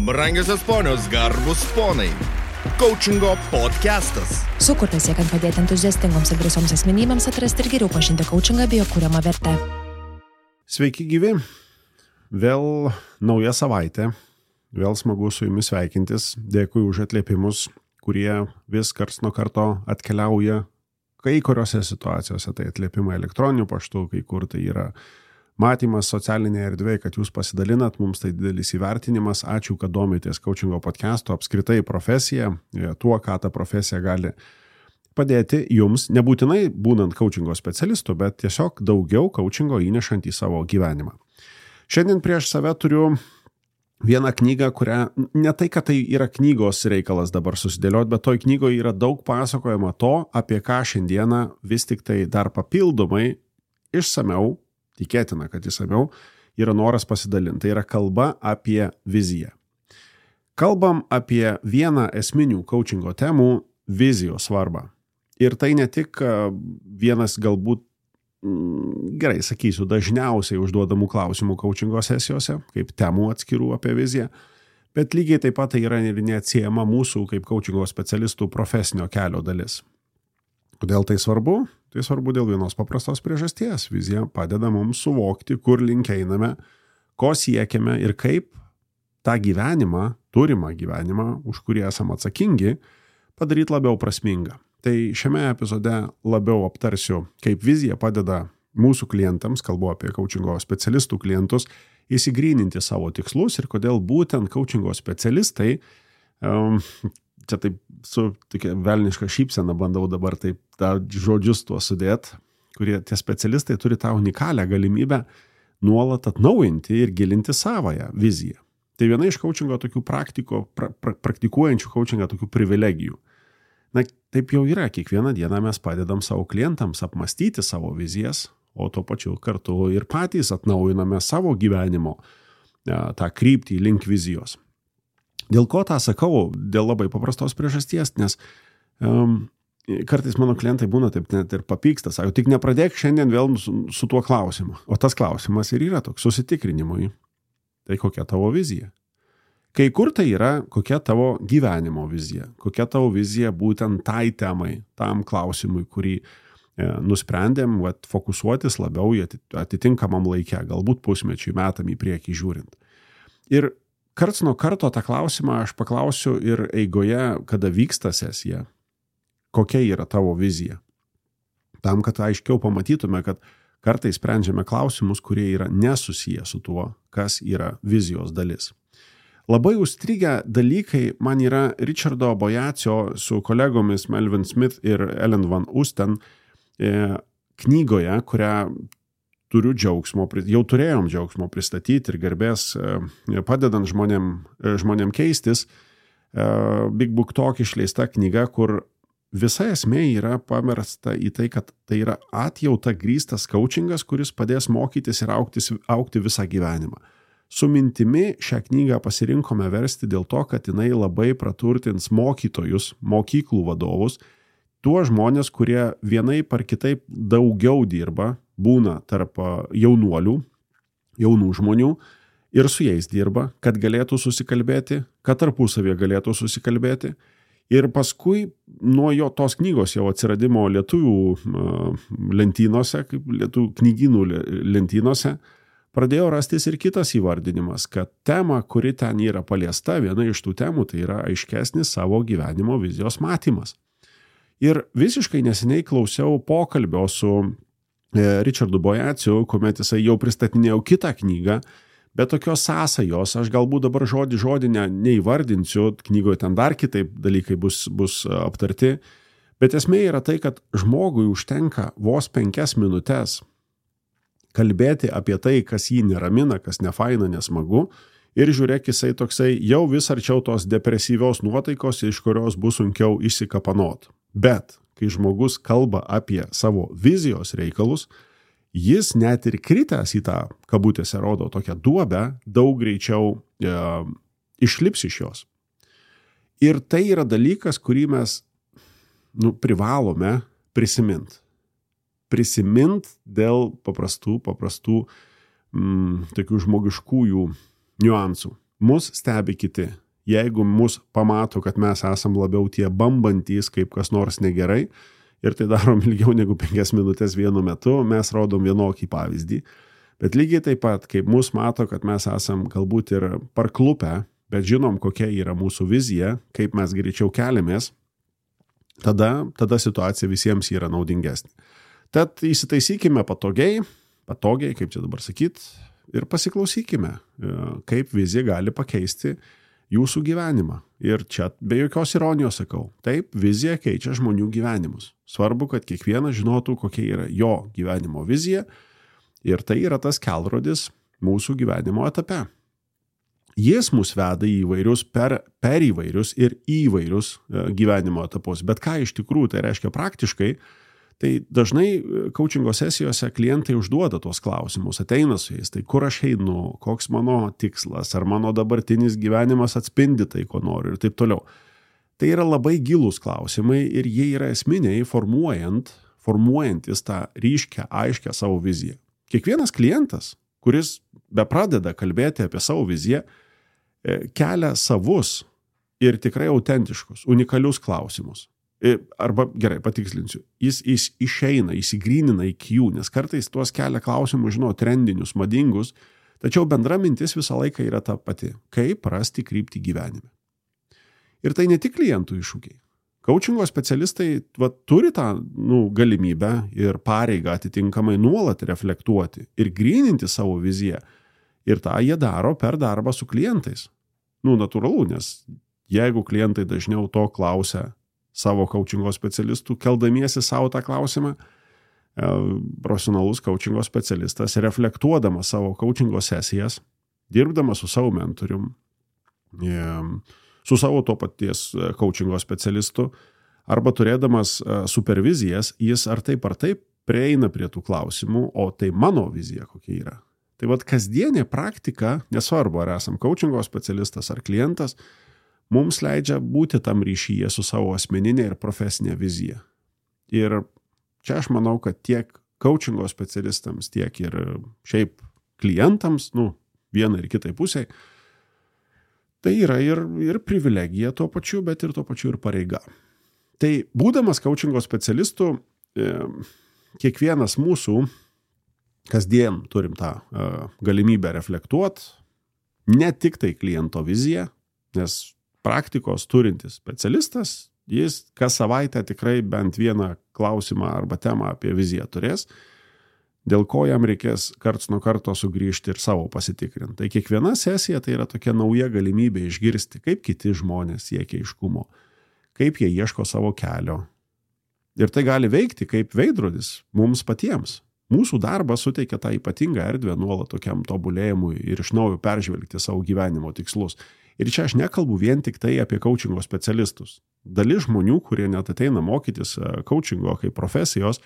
Brangiosios ponios, garbus ponai. Coachingo podcastas. Sukurtas siekiant padėti entuziastingoms ir drąsioms asmenybėms atrasti ir geriau pažinti coachingą bei jo kuriamą vertę. Sveiki gyvi. Vėl nauja savaitė. Vėl smagu su jumis sveikintis. Dėkui už atliepimus, kurie vis karts nuo karto atkeliauja. Kai kuriuose situacijose tai atliepimai elektroniniu paštu, kai kur tai yra matymas socialinėje erdvėje, kad jūs pasidalinat, mums tai didelis įvertinimas. Ačiū, kad domitės coachingo podcastu, apskritai profesija, tuo, ką ta profesija gali padėti jums, nebūtinai būnant coachingo specialistu, bet tiesiog daugiau coachingo įnešant į savo gyvenimą. Šiandien prieš save turiu vieną knygą, kurią ne tai, kad tai yra knygos reikalas dabar susidėlioti, bet toj knygoje yra daug pasakojama to, apie ką šiandieną vis tik tai dar papildomai išsamiau, tikėtina, kad išsamiau, yra noras pasidalinti. Tai yra kalba apie viziją. Kalbam apie vieną esminių coachingo temų – vizijos svarbą. Ir tai ne tik vienas galbūt, gerai sakysiu, dažniausiai užduodamų klausimų coachingo sesijose, kaip temų atskirų apie viziją, bet lygiai taip pat tai yra ir neatsiejama mūsų kaip coachingo specialistų profesinio kelio dalis. Kodėl tai svarbu? Tai svarbu dėl vienos paprastos priežasties. Vizija padeda mums suvokti, kur link einame, ko siekiame ir kaip tą gyvenimą, turimą gyvenimą, už kurį esame atsakingi, padaryti labiau prasmingą. Tai šiame epizode labiau aptarsiu, kaip vizija padeda mūsų klientams, kalbu apie coachingo specialistų klientus, įsigryninti savo tikslus ir kodėl būtent coachingo specialistai, čia taip su tokia velniška šypsena bandau dabar taip tą žodžius tuo sudėti, kurie tie specialistai turi tą unikalią galimybę nuolat atnaujinti ir gilinti savąją viziją. Tai viena iš coachingo tokių praktikuojančių coachingą tokių privilegijų. Na, taip jau yra, kiekvieną dieną mes padedam savo klientams apmastyti savo vizijas, o tuo pačiu kartu ir patys atnaujiname savo gyvenimo tą kryptį link vizijos. Dėl ko tą sakau? Dėl labai paprastos priežasties, nes kartais mano klientai būna taip net ir papyksta, sako, tik nepradėk šiandien vėl su tuo klausimu. O tas klausimas ir yra toks susitikrinimui. Tai kokia tavo vizija? Kai kur tai yra, kokia tavo gyvenimo vizija? Kokia tavo vizija būtent tai temai, tam klausimui, kurį nusprendėm fokusuotis labiau į atitinkamam laikę, galbūt pusmečiui, metam į priekį žiūrint. Ir karts nuo karto tą klausimą aš paklausiu ir eigoje, kada vyksta sesija, kokia yra tavo vizija. Tam, kad aiškiau pamatytume, kad kartais sprendžiame klausimus, kurie yra nesusiję su tuo, kas yra vizijos dalis. Labai užstrigę dalykai man yra Richardo Boyacio su kolegomis Melvin Smith ir Ellen Van Oosten knygoje, kurią jau turėjom džiaugsmo pristatyti ir garbės padedant žmonėm keistis. Big Book Talk išleista knyga, kur visa esmė yra pamersta į tai, kad tai yra atjauta grįstas coachingas, kuris padės mokytis ir augti visą gyvenimą. Su mintimi šią knygą pasirinkome versti dėl to, kad jinai labai praturtins mokytojus, mokyklų vadovus, tuos žmonės, kurie vienaip ar kitaip daugiau dirba, būna tarp jaunuolių, jaunų žmonių ir su jais dirba, kad galėtų susikalbėti, kad tarpusavėje galėtų susikalbėti. Ir paskui nuo tos knygos jau atsiradimo lietuvių lentynose, kaip lietuvių knygynų lentynose, pradėjo rastis ir kitas įvardinimas, kad tema, kuri ten yra paliesta, viena iš tų temų, tai yra aiškesnis savo gyvenimo vizijos matymas. Ir visiškai neseniai klausiau pokalbio su Richardu Boyaciu, kuomet jisai jau pristatinėjau kitą knygą, bet tokios sąsajos, aš galbūt dabar žodį neįvardinsiu, knygoje ten dar kitaip dalykai bus aptarti, bet esmė yra tai, kad žmogui užtenka vos 5 minutes kalbėti apie tai, kas jį neramina, kas nefaina, nesmagu, ir žiūrėk, jisai toksai jau vis arčiau tos depresyvios nuotaikos, iš kurios bus sunkiau išsikapanot. Bet kai žmogus kalba apie savo vizijos reikalus, jis net ir kritęs į tą, kabutėse rodo, tokią duobę, daug greičiau išlips iš jos. Ir tai yra dalykas, kurį mes privalome prisiminti. Prisiminti dėl paprastų tokių žmogiškųjų niuansų. mus stebi kiti. Jeigu mus pamato, kad mes esam labiau tie bambantys, kaip kas nors negerai, ir tai darom ilgiau negu 5 minutės vienu metu, mes rodom vienokį pavyzdį. Bet lygiai taip pat, kaip mus mato, kad mes esam galbūt ir parklupę, bet žinom, kokia yra mūsų vizija, kaip mes greičiau keliamės, tada situacija visiems yra naudingesnė. Tad įsitaisykime patogiai, kaip čia dabar sakyt, ir pasiklausykime, kaip vizija gali pakeisti jūsų gyvenimą. Ir čia be jokios ironijos sakau, taip, vizija keičia žmonių gyvenimus. Svarbu, kad kiekvienas žinotų, kokia yra jo gyvenimo vizija, ir tai yra tas kelrodis mūsų gyvenimo etape. Jis mus veda į įvairius, per įvairius ir įvairius gyvenimo etapus. Bet ką iš tikrųjų tai reiškia praktiškai, tai dažnai coachingo sesijose klientai užduoda tos klausimus, ateina su jais, tai kur aš einu, koks mano tikslas, ar mano dabartinis gyvenimas atspindi tai, ko noriu ir taip toliau. Tai yra labai gilūs klausimai ir jie yra esminiai formuojantis tą ryškę, aiškę savo viziją. Kiekvienas klientas, kuris bepradeda kalbėti apie savo viziją, kelia savus ir tikrai autentiškus, unikalius klausimus. Arba, gerai, patikslinsiu, jis išeina, įsigrynina iki jų, nes kartais tuos kelia klausimus, trendinius, madingus, tačiau bendra mintis visą laiką yra ta pati, kaip rasti kryptį gyvenime. Ir tai ne tik klientų iššūkiai. Coachingo specialistai turi tą galimybę ir pareigą atitinkamai nuolat reflektuoti ir gryninti savo viziją. Ir tą jie daro per darbą su klientais. Natūralu, nes jeigu klientai dažniau to klausia savo coachingo specialistų, keldamiesi savo tą klausimą, profesionalus coachingo specialistas, reflektuodamas savo coachingo sesijas, dirbdamas su savo mentorium, su savo to paties coachingo specialistu, arba turėdamas supervizijas, jis ar taip prieina prie tų klausimų, o tai mano vizija kokia yra. Tai kasdienė praktika, nesvarbu ar esam coachingo specialistas ar klientas, mums leidžia būti tam ryšyje su savo asmeninė ir profesinė vizija. Ir čia aš manau, kad tiek coachingo specialistams, tiek ir šiaip klientams, vienai ir kitai pusiai, tai yra ir privilegija tuo pačiu, bet ir tuo pačiu ir pareiga. Tai būdamas coachingo specialistu, kiekvienas mūsų kasdien turim tą galimybę reflektuoti, ne tik tai kliento viziją, nes praktikos turintis specialistas, jis kas savaitę tikrai bent vieną klausimą arba temą apie viziją turės, dėl ko jam reikės karts nuo karto sugrįžti ir savo pasitikrinti. Tai kiekviena sesija tai yra tokia nauja galimybė išgirsti, kaip kiti žmonės siekia aiškumo, kaip jie ieško savo kelio. Ir tai gali veikti kaip veidrodis mums patiems. Mūsų darbas suteikia tą ypatingą erdvę nuolat tokiam tobulėjimui ir iš naujo peržvelgti savo gyvenimo tikslus. Ir čia aš nekalbu vien tik tai apie coachingo specialistus. Dalis žmonių, kurie net ateina mokytis coachingo kaip profesijos,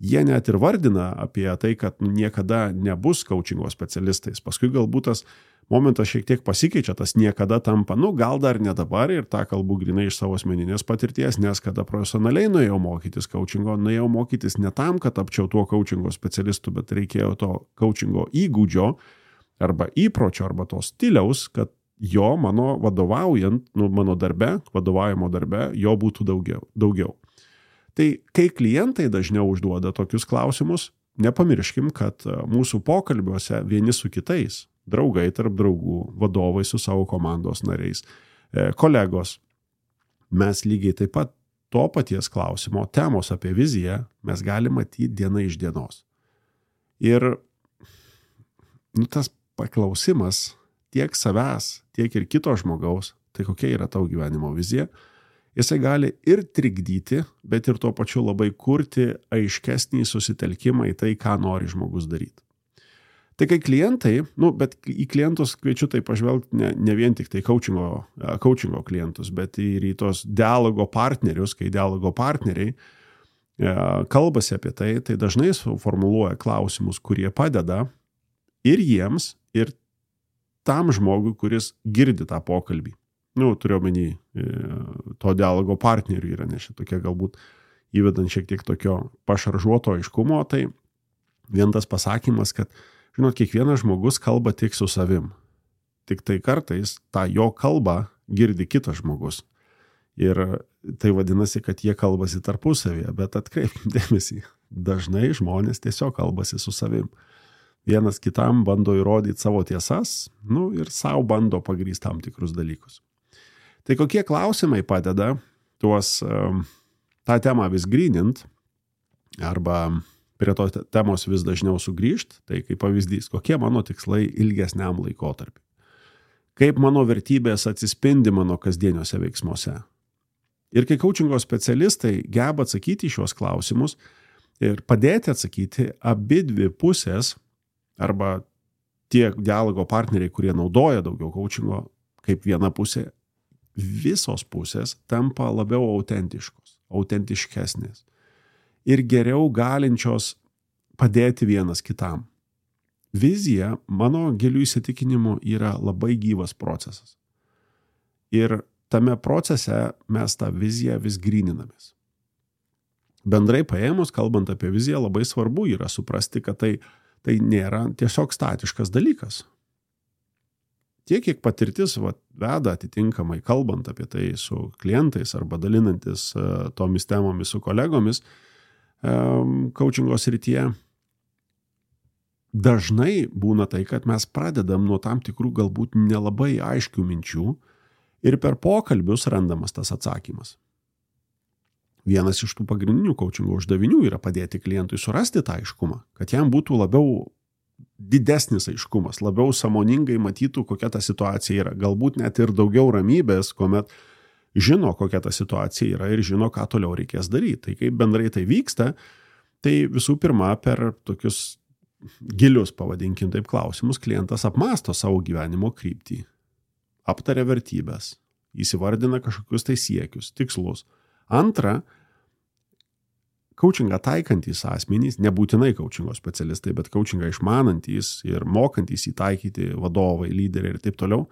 jie net ir vardina apie tai, kad niekada nebus coachingo specialistais. Paskui galbūt tas momentas šiek tiek pasikeičia, tas niekada tampa, gal dar ne dabar, ir tą kalbu grinai iš savo asmeninės patirties, nes kada profesionaliai nuėjau mokytis coachingo, nuėjau mokytis ne tam, kad tapčiau tuo coachingo specialistu, bet reikėjo to coachingo įgūdžio arba įpročio arba to stiliaus, kad jo mano vadovaujant, mano darbe, vadovavimo darbe, jo būtų daugiau. Tai kai klientai dažniau užduoda tokius klausimus, nepamirškim, kad mūsų pokalbiuose vieni su kitais, draugai tarp draugų, vadovai su savo komandos nariais, kolegos, mes lygiai taip pat to paties klausimo, temos apie viziją, mes galime matyti diena iš dienos. Ir tas paklausimas tiek savęs, tiek ir kito žmogaus, tai kokia yra tavo gyvenimo vizija, jisai gali ir trikdyti, bet ir tuo pačiu labai kurti aiškesnį susitelkimą į tai, ką nori žmogus daryti. Tai kai klientai, bet į klientus kviečiu tai pažvelgti ne vien tik tai coachingo klientus, bet ir į tos dialogo partnerius, kai dialogo partneriai kalbasi apie tai, tai dažnai formuluoja klausimus, kurie padeda ir jiems, ir tam žmogui, kuris girdi tą pokalbį. Turiu omeny, to dialogo partnerių yra, nes šitokia galbūt įvedant šiek tiek tokio pašaržuoto aiškumo, tai vien tas pasakymas, kad, kiekvienas žmogus kalba tik su savim. tik tai kartais tą jo kalbą girdi kitas žmogus. Ir tai vadinasi, kad jie kalbasi tarpusavėje, bet atkreipkim dėmesį, dažnai žmonės tiesiog kalbasi su savim. Vienas kitam bando įrodyti savo tiesas, ir savo bando pagrįsti tam tikrus dalykus. Tai kokie klausimai padeda tą temą vis grynint, arba prie to temos vis dažniau sugrįžt, tai kaip pavyzdys, kokie mano tikslai ilgesniam laikotarpiu. Kaip mano vertybės atsispindi mano kasdieniuose veiksmuose. Ir kai coachingo specialistai geba atsakyti šios klausimus ir padėti atsakyti abidvi pusės, arba tie dialogo partneriai, kurie naudoja daugiau coachingo kaip viena pusė, visos pusės tampa labiau autentiškesnės ir geriau galinčios padėti vienas kitam. Vizija, mano giliu įsitikinimu, yra labai gyvas procesas. Ir tame procese mes tą viziją vis gryninamės. Bendrai paėmus, kalbant apie viziją, labai svarbu yra suprasti, kad tai nėra tiesiog statiškas dalykas. Tiek, kiek patirtis veda atitinkamai, kalbant apie tai su klientais arba dalinantis tomis temomis su kolegomis coachingo srityje, dažnai būna tai, kad mes pradedam nuo tam tikrų galbūt nelabai aiškių minčių ir per pokalbius randamas tas atsakymas. Vienas iš tų pagrindinių coachingo uždavinių yra padėti klientui surasti tą aiškumą, kad jam būtų labiau didesnis aiškumas, labiau sąmoningai matytų, kokia ta situacija yra. Galbūt net ir daugiau ramybės, kuomet žino, kokia ta situacija yra ir žino, ką toliau reikės daryti. Tai kaip bendrai tai vyksta, tai visų pirma per tokius gilius, pavadinkim taip, klausimus klientas apmąsto savo gyvenimo kryptį, aptaria vertybės, įsivardina kažkokius tai siekius, tikslus. Antra, coachingą taikantys asmenys, nebūtinai coachingo specialistai, bet coachingą išmanantys ir mokantys įtaikyti vadovai, lyderiai ir taip toliau,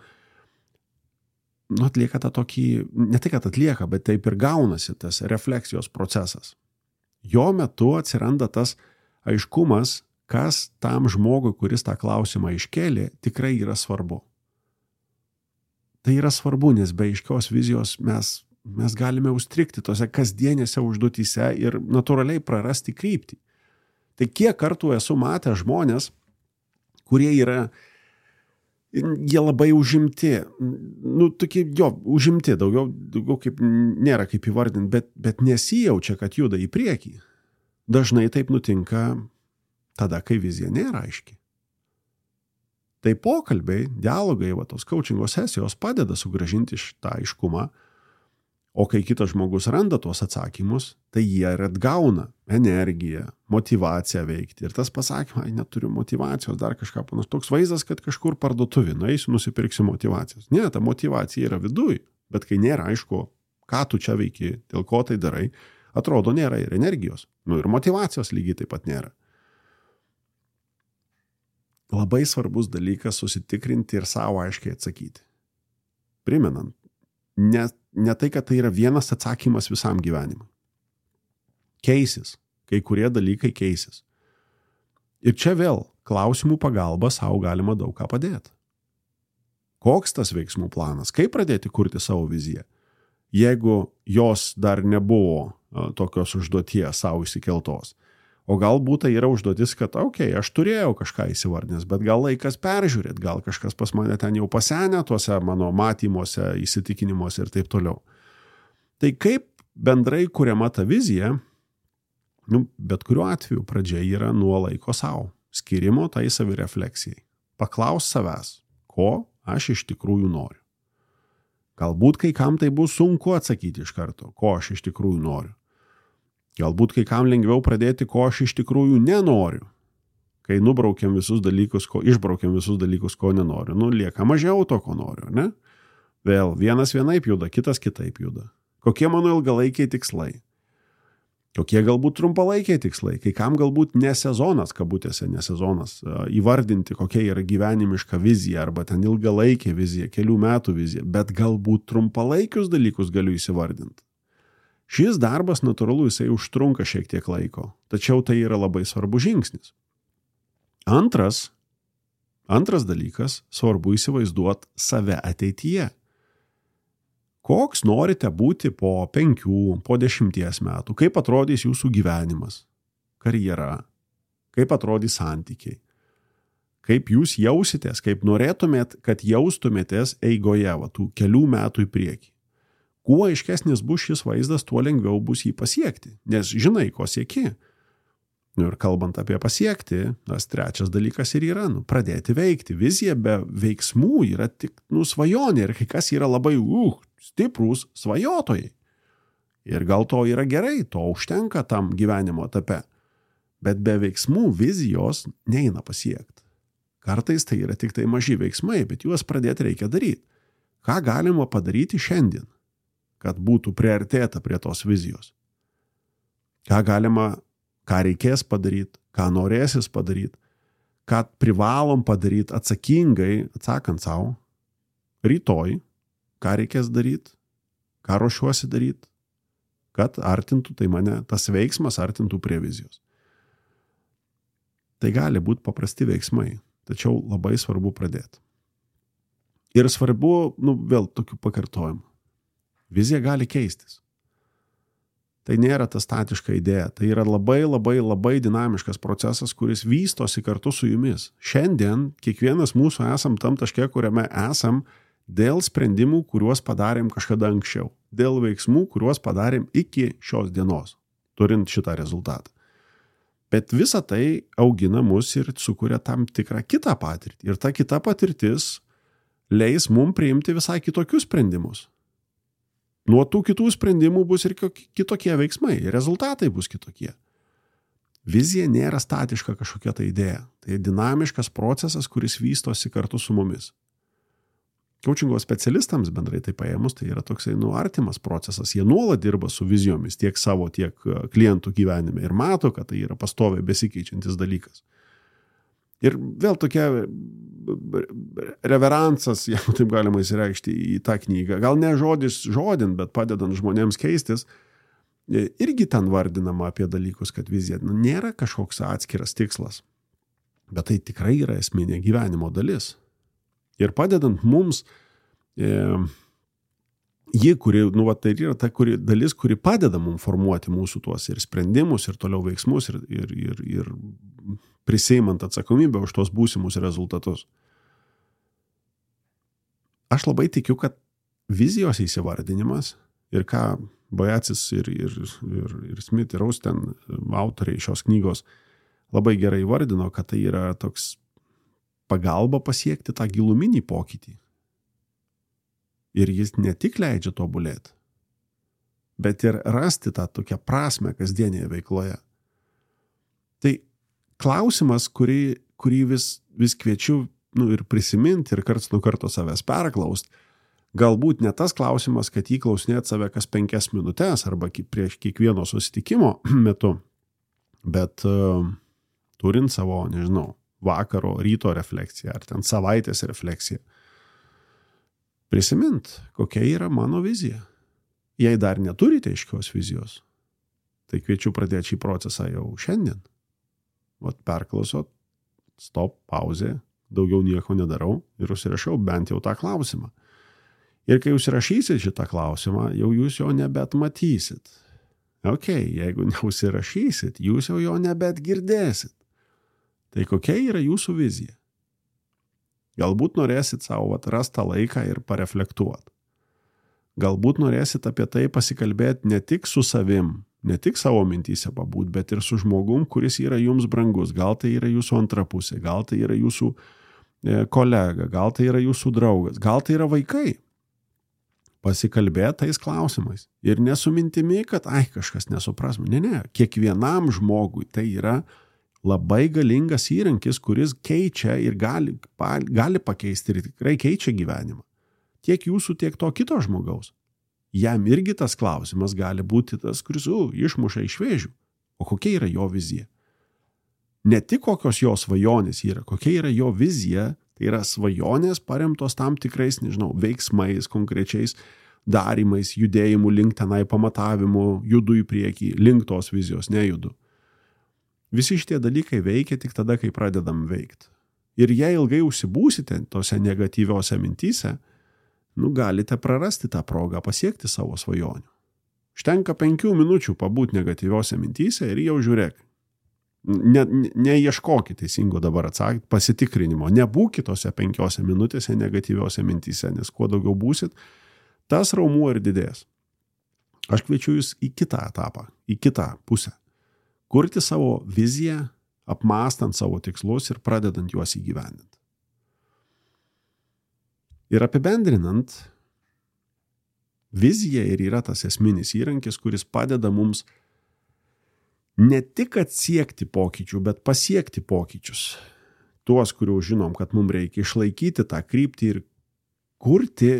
atlieka tą tokį, ne tai, kad atlieka, bet taip ir gaunasi tas refleksijos procesas. Jo metu atsiranda tas aiškumas, kas tam žmogui, kuris tą klausimą iškėlė, tikrai yra svarbu. Tai yra svarbu, nes be aiškios vizijos mes galime užstrigti tose kasdienėse užduotyse ir natūraliai prarasti kryptį. Tai kiek kartų esu matęs žmonės, kurie jie labai užimti, tokie, užimti, daugiau kaip nėra kaip įvardinti, bet nesijaučia, kad juda į priekį. Dažnai taip nutinka tada, kai vizija nėra aiški. Tai pokalbiai, dialogai, tos coachingo sesijos padeda sugrąžinti šitą aiškumą, o kai kitas žmogus randa tuos atsakymus, tai jie ir atgauna energiją, motivaciją veikti. Ir tas pasakymas, neturiu motivacijos, dar kažką panašaus. Toks vaizdas, kad kažkur parduotuvė, nueisiu, nusipirksiu motivacijos. Ne, ta motivacija yra viduj, bet kai nėra aišku, ką tu čia veiki, dėl ko tai darai, atrodo nėra ir energijos. Ir motivacijos lygiai taip pat nėra. Labai svarbus dalykas susitikrinti ir savo aiškiai atsakyti. Primenant, ne tai, kad tai yra vienas atsakymas visam gyvenimui. Keisis. Kai kurie dalykai keisis. Ir čia vėl klausimų pagalba savo galima daug ką padėti. Koks tas veiksmų planas? Kaip pradėti kurti savo viziją? Jeigu jos dar nebuvo tokios užduoties savo įsikeltos. O galbūt tai yra užduotis, kad aš turėjau kažką įsivardinęs, bet gal laikas peržiūrėti, gal kažkas pas mane ten jau pasenę tuose mano matymuose, įsitikinimuose ir taip toliau. Tai kaip bendrai kuriama ta vizija, bet kuriuo atveju pradžia yra nuo laiko savo, skirimo tai savirefleksijai. Paklaus savęs, ko aš iš tikrųjų noriu. Galbūt kai kam tai bus sunku atsakyti iš karto, ko aš iš tikrųjų noriu. Galbūt kai kam lengviau pradėti, ko aš iš tikrųjų nenoriu. Kai išbraukiam visus dalykus, ko nenoriu. Lieka mažiau to, ko noriu, ne? Vėl, vienas vienaip juda, kitas kitaip juda. Kokie mano ilgalaikiai tikslai? Kokie galbūt trumpalaikiai tikslai? Kai kam galbūt nesezonas, kabutėse nesezonas, įvardinti, kokia yra gyvenimiška vizija, arba ten ilgalaikė vizija, kelių metų vizija, bet galbūt trumpalaikius dalykus galiu įsivardinti. Šis darbas, natūralu, jisai užtrunka šiek tiek laiko, tačiau tai yra labai svarbus žingsnis. Antras, Antras dalykas, svarbu įsivaizduoti save ateityje. Koks norite būti po 5, po 10 metų, kaip atrodys jūsų gyvenimas, karjera, kaip atrodys santykiai, kaip jūs jausitės, kaip norėtumėt, kad jaustumėtės eigoje, tų kelių metų į priekį. Kuo aiškesnis bus šis vaizdas, tuo lengviau bus jį pasiekti, nes žinai, ko sieki. Ir kalbant apie pasiekti, tas trečias dalykas ir yra, pradėti veikti. Vizija be veiksmų yra tik svajonė ir kai kas yra labai stiprūs svajotojai. Ir gal to yra gerai, to užtenka tam gyvenimo etape. Bet be veiksmų vizijos neina pasiekti. Kartais tai yra tik tai maži veiksmai, bet juos pradėti reikia daryti. Ką galima padaryti šiandien, kad būtų priartėta prie tos vizijos? Ką reikės padaryti, ką norėsis padaryti, ką privalom padaryti atsakingai, atsakant savo, rytoj, ką reikės daryti, ką ruošiuosi daryti, kad artintų tai mane, tas veiksmas artintų prie vizijos. Tai gali būti paprasti veiksmai, tačiau labai svarbu pradėti. Ir svarbu, vėl tokių pakartojimų. Vizija gali keistis. Tai nėra ta statiška idėja, tai yra labai dinamiškas procesas, kuris vystosi kartu su jumis. Šiandien kiekvienas mūsų esam tam taške, kuriame esam dėl sprendimų, kuriuos padarėm kažkada anksčiau, dėl veiksmų, kuriuos padarėm iki šios dienos, turint šitą rezultatą. Bet visa tai augina mus ir sukuria tam tikrą kitą patirtį. Ir ta kita patirtis leis mum priimti visai kitokius sprendimus. Nuo tų kitų sprendimų bus ir kitokie veiksmai, rezultatai bus kitokie. Vizija nėra statiška kažkokia ta idėja. Tai dinamiškas procesas, kuris vystosi kartu su mumis. Coachingo specialistams bendrai tai paėmus, tai yra toksai artimas procesas. Jie nuolat dirba su vizijomis tiek savo, tiek klientų gyvenime ir mato, kad tai yra pastoviai besikeičiantis dalykas. Ir vėl tokia reveransas, jeigu taip galima įsireikšti į tą knygą, gal ne žodin, bet padedant žmonėms keistis, irgi ten vardinama apie dalykus, kad vizija nėra kažkoks atskiras tikslas, bet tai tikrai yra esminė gyvenimo dalis. Ir padedant mums, tai yra ta dalis, kuri padeda mums formuoti mūsų tuos ir sprendimus, ir toliau veiksmus, ir prisiimant atsakomybę už tos būsimus rezultatus. Aš labai tikiu, kad vizijos įsivardinimas ir ką Bajacis ir Smith ir Austen, autoriai šios knygos, labai gerai įvardino, kad tai yra toks pagalba pasiekti tą giluminį pokytį. Ir jis ne tik leidžia tobulėti, bet ir rasti tą tokią prasmę kasdienėje veikloje. Tai klausimas, kurį vis kviečiu ir prisiminti ir karts nuo karto savęs perklaust, galbūt ne tas klausimas, kad jį klausinėt save kas 5 minutes arba prieš kiekvieno susitikimo metu, bet turint savo, vakaro, ryto refleksiją ar ten savaitės refleksiją. Prisimint, kokia yra mano vizija. Jei dar neturite aiškios vizijos, tai kviečiu pradėti šį procesą jau šiandien. Perklausot, stop, pauzė, daugiau nieko nedarau ir užsirašau bent jau tą klausimą. Ir kai užsirašysit šitą klausimą, jau jūs jo nebet matysit. Jeigu neužsirašysit, jūs jo nebet girdėsit. Tai kokia yra jūsų vizija? Galbūt norėsit savo rastą laiką ir pareflektuoti. Galbūt norėsit apie tai pasikalbėti ne tik su savim, ne tik savo mintyse pabūt, bet ir su žmogum, kuris yra jums brangus. Gal tai yra jūsų antra pusė, gal tai yra jūsų kolega, gal tai yra jūsų draugas, gal tai yra vaikai. Pasikalbėti tais klausimais. Ir nesu mintimi, kad kažkas nesupras. Ne. Kiekvienam žmogui tai yra labai galingas įrankis, kuris keičia ir gali pakeisti ir tikrai keičia gyvenimą. Tiek jūsų, tiek to kito žmogaus. Jam irgi tas klausimas gali būti tas, kuris išmuša iš vėžių. O kokia yra jo vizija? Ne tik kokios jo svajonės yra, kokia yra jo vizija, tai yra svajonės paremtos tam tikrais, veiksmais, konkrečiais darymais, judėjimų link tenai pamatavimu, judu į priekį, link tos vizijos, nejudu. Visi šitie dalykai veikia tik tada, kai pradedam veikti. Ir jei ilgai užsibūsite tose negatyviose mintyse, galite prarasti tą progą pasiekti savo svajonių. Užtenka 5 minučių pabūti negatyviose mintyse ir jau žiūrėk. Neieškokit teisingo dabar atsakyti, pasitikrinimo. Nebūkit tose 5 minutėse negatyviose mintyse, nes kuo daugiau būsit, tas raumuo ir didės. Aš kviečiu jūs į kitą etapą, į kitą pusę. Kurti savo viziją, apmąstant savo tikslus ir pradedant juos įgyvendinti. Ir apibendrinant, vizija ir yra tas esminis įrankis, kuris padeda mums ne tik atsiekti pokyčių, bet pasiekti pokyčius. Tuos, kurių žinom, kad mums reikia išlaikyti tą kryptį ir kurti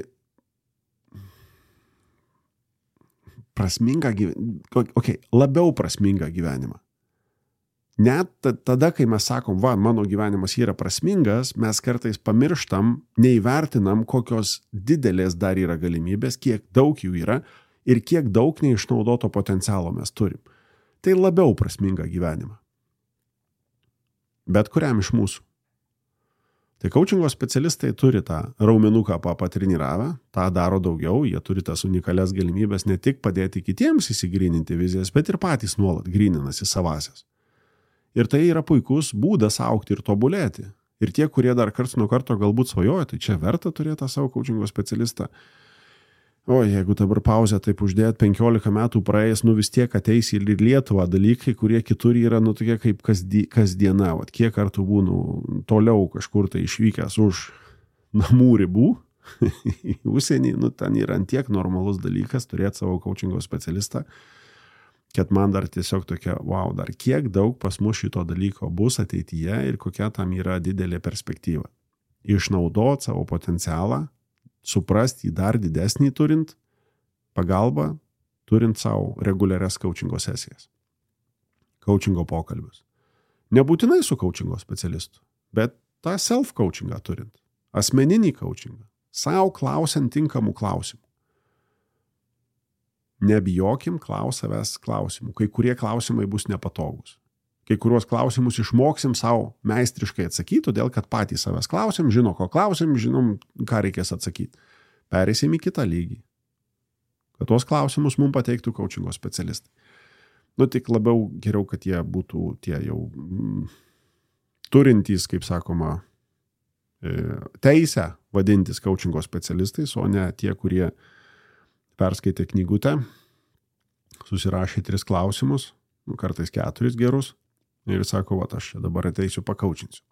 labiau prasmingą gyvenimą. Net tada, kai mes sakom, mano gyvenimas yra prasmingas, mes kartais pamirštam, neįvertinam, kokios didelės dar yra galimybės, kiek daug jų yra ir kiek daug neišnaudoto potencialo mes turim. Tai labiau prasmingą gyvenimą. Bet kuriam iš mūsų. Tai coachingo specialistai turi tą raumenuką patreniravę, tą daro daugiau, jie turi tas unikalias galimybės ne tik padėti kitiems įsigryninti vizijas, bet ir patys nuolat gryninasi savasias. Ir tai yra puikus būdas augti ir tobulėti. Ir tie, kurie dar karts nuo karto galbūt svajoja, tai čia verta turėti tą savo coachingo specialistą. O jeigu dabar pauzę taip uždėt 15 metų praėjęs, vis tiek ateis į Lietuvą dalykai, kurie kitur yra tokie kaip kasdiena. Kiek kartų būnu toliau kažkur tai išvykęs už namų ribų į užsienį, ten yra antiek normalus dalykas turėti savo coachingo specialistą, kad man dar tiesiog tokia, dar kiek daug pas mus šito dalyko bus ateityje ir kokia tam yra didelė perspektyva. Išnaudoti savo potencialą, suprasti jį dar didesnį turint pagalbą, turint savo reguliarias coachingo sesijas, coachingo pokalbius. Nebūtinai su coachingo specialistu, bet tą self-coachingą turint, asmeninį coachingą, savo klausiant tinkamų klausimų. Nebijokim savęs klausimų, kai kurie klausimai bus nepatogus. Kai kuriuos klausimus išmoksim savo meistriškai atsakyti, todėl kad patys savęs klausim, žino, ko klausim, žinom, ką reikės atsakyti. Pereisim į kitą lygį. Kad tuos klausimus mums pateiktų coachingo specialistai. Tik labiau geriau, kad jie būtų tie jau turintys, kaip sakoma, teisę vadintis coachingo specialistais, o ne tie, kurie perskaitė knygutę, susirašė 3 klausimus, kartais 4 gerus, ir sako, aš čia dabar ateisiu pakaučinsiu.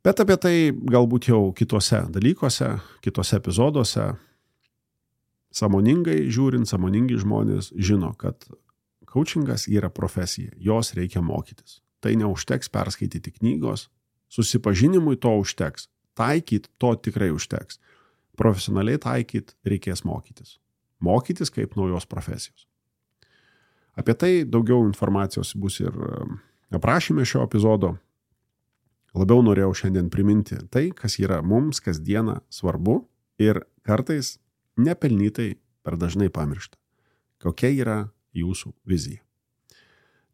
Bet apie tai galbūt jau kitose dalykuose, kitose epizoduose, sąmoningai žiūrint, sąmoningi žmonės žino, kad coachingas yra profesija, jos reikia mokytis. Tai neužteks perskaityti knygos, susipažinimui to užteks, taikyt to tikrai užteks. Profesionaliai taikyt reikės mokytis. Mokytis kaip naujos profesijos. Apie tai daugiau informacijos bus ir aprašyme šio epizodo. Labiau norėjau šiandien priminti tai, kas yra mums kasdieną svarbu ir kartais nepelnytai per dažnai pamiršta. Kokia yra jūsų vizija.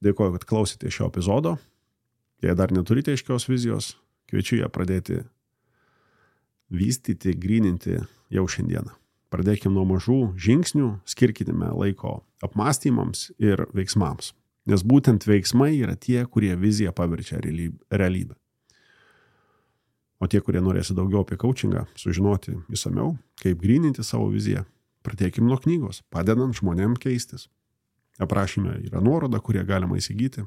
Dėkoju, kad klausėte šio epizodo. Jei dar neturite aiškios vizijos, kviečiu ją pradėti vystyti, gryninti jau šiandieną. Pradėkime nuo mažų žingsnių, skirkime laiko apmąstymams ir veiksmams. Nes būtent veiksmai yra tie, kurie viziją paverčia realybę. O tie, kurie norėsi daugiau apie coachingą, sužinoti išsamiau, kaip gryninti savo viziją, pradėkime nuo knygos, padedant žmonėm keistis. Aprašyme yra nuoroda, kurie galima įsigyti.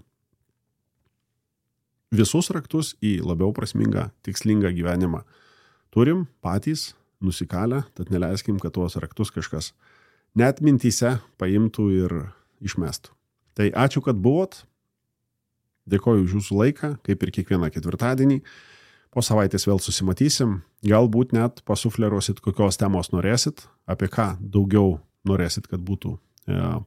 Visus raktus į labiau prasmingą, tikslingą gyvenimą turim patys nusikalę, tad neleiskim, kad tuos raktus kažkas net mintyse paimtų ir išmestų. Tai ačiū, kad buvot. Dėkoju už jūsų laiką, kaip ir kiekvieną ketvirtadienį. Po savaitės vėl susimatysim. Galbūt net pasufleruosit, kokios temos norėsit, apie ką daugiau norėsit, kad būtų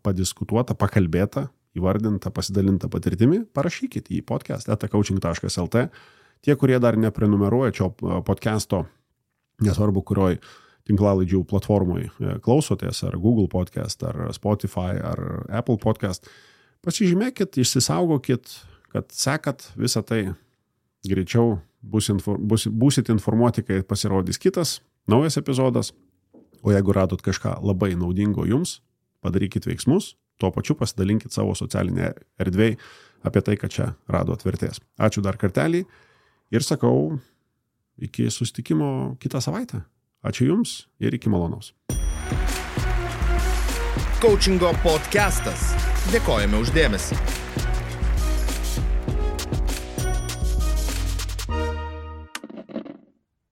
padiskutuota, pakalbėta, įvardinta, pasidalinta patirtimi. Parašykit į podcast@coaching.lt. Tie, kurie dar neprenumeruoja šio podcasto, nesvarbu, kurioj tinklalaidžių platformoj klausotės, ar Google podcast, ar Spotify, ar Apple podcast, pasižymėkit, išsisaugokit, kad sekat visą tai greičiau būsit informuoti, kai pasirodys kitas, naujas epizodas. O jeigu radot kažką labai naudingo jums, padarykit veiksmus, tuo pačiu pasidalinkit savo socialinėje erdvėje apie tai, kad čia radot vertės. Ačiū dar kartelį ir sakau, iki susitikimo kitą savaitę. Ačiū Jums ir iki malonaus. Coachingo podcastas. Dėkojame už dėmesį.